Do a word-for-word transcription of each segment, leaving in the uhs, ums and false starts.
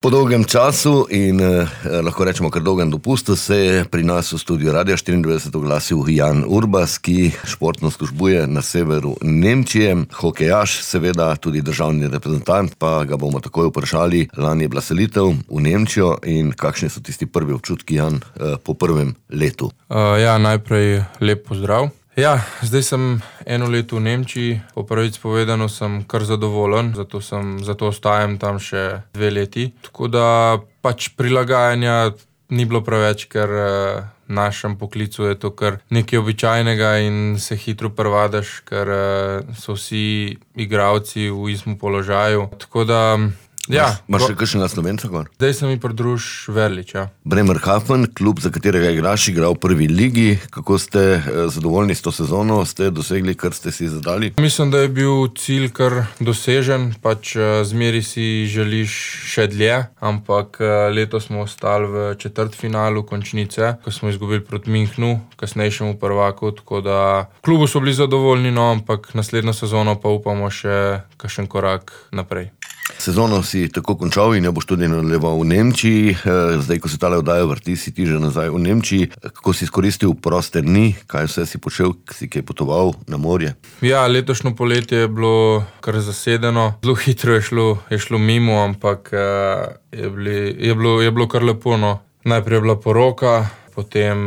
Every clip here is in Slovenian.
Po dolgem času in eh, lahko rečemo kar dolgem dopustu se je pri nas v studiu Radia štiriindvajset oglasil Jan Urbas, ki športno službuje na severu Nemčije, hokejaš, seveda tudi državni reprezentant, pa ga bomo takoj vprašali. Lani je bila selitev v Nemčijo in kakšni so tisti prvi občutki, Jan, eh, po prvem letu? Uh, ja, najprej lep pozdrav. Ja, zdaj sem eno leto v Nemčiji, po prvič povedano sem kar zadovoljen, zato, sem, zato ostajam tam še dve leti. Tako da pač prilagajanja ni bilo preveč, ker v našem poklicu je to kar nekaj običajnega in se hitro privadiš, ker so vsi igralci v istem položaju. Tako da ja, Imaš še kakšnega Slovenca gor? Zdaj se mi pridruž Verlič, ja. Bremerhaven, klub, za katerega igraš, igral v prvi ligi. Kako ste zadovoljni s to sezono? Ste dosegli, kar ste si zadali? Mislim, da je bil cilj kar dosežen, pač zmeri si želiš še dlje, ampak letos smo ostali v četrtfinalu končnice, ko smo izgubili proti Münchnu, kasnejšemu prvaku, tako da klubu so bili zadovoljni, no, ampak naslednjo sezono pa upamo še kakšen korak naprej. Sezono si tako končal in jo boš tudi nadaljeval v Nemčiji. Zdaj, ko se tale oddaja vrti, si ti že nazaj v Nemčiji. Kako si izkoristil proste dni? Kaj vse si počel? Si kaj potoval na morje? Ja, letošnjo poletje je bilo kar zasedeno. Zelo hitro je šlo, je šlo mimo, ampak je, bili, je, bilo, je bilo kar lepo, no. Najprej je bila poroka, potem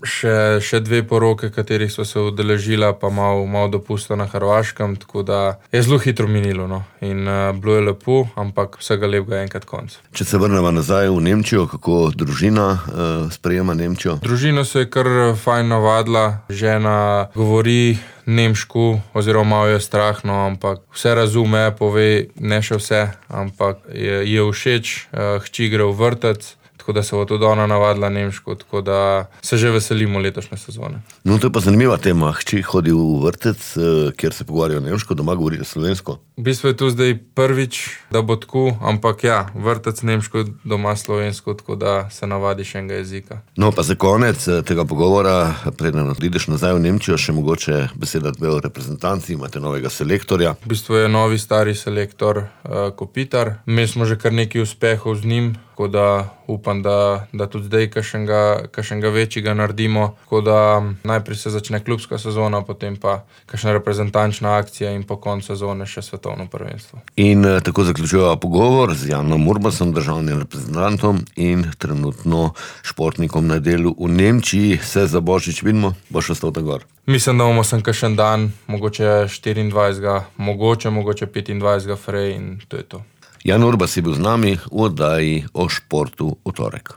še, še dve poroke, katerih so se udeležila, pa malo, malo dopusta na Hrvaškem, tako da je zelo hitro minilo, no. In uh, bilo je lepo, ampak vsega lepega enkrat konc. Če se vrnemo nazaj v Nemčijo, kako družina uh, sprejema Nemčijo? Družina se je kar fajn navadila, žena govori nemško, oziroma malo je strah, no, ampak vse razume, pove, ne še vse, ampak je, je všeč, uh, hči gre v vrtec, tako da se bo tudi ona navadila nemško, tako da se že veselimo letošnje sezone. No, to je pa zanimiva tema. Hči hodi v vrtec, kjer se pogovarjajo nemško, doma govorijo slovensko. V bistvu je to zdaj prvič, da bo tako, ampak ja, vrtec nemško, doma slovensko, tako da se navadiš enega jezika. No, pa za konec tega pogovora, preden odideš nazaj v Nemčijo, še mogoče beseda dve o reprezentanci, imate novega selektorja. V bistvu je novi stari selektor uh, Kopitar. Mi smo že kar nekaj uspehov z njim, tako da upam, da, da tudi zdaj kakšnega, kakšnega večjega naredimo. Tako da najprej se začne klubska sezona, potem pa kakšna reprezentančna akcija in po koncu sezone še svetovno prvenstvo. In eh, tako zaključujeva pogovor z Janom Urbasom, državnim reprezentantom in trenutno športnikom na delu v Nemčiji. Se za Božič vidimo, boš ostal tam gor? Mislim, da bomo sem kakšen dan, mogoče štiriindvajsetega, mogoče, mogoče petindvajsetega frej in to je to. Jan Urbas je bil z nami v oddaji o športu v torek.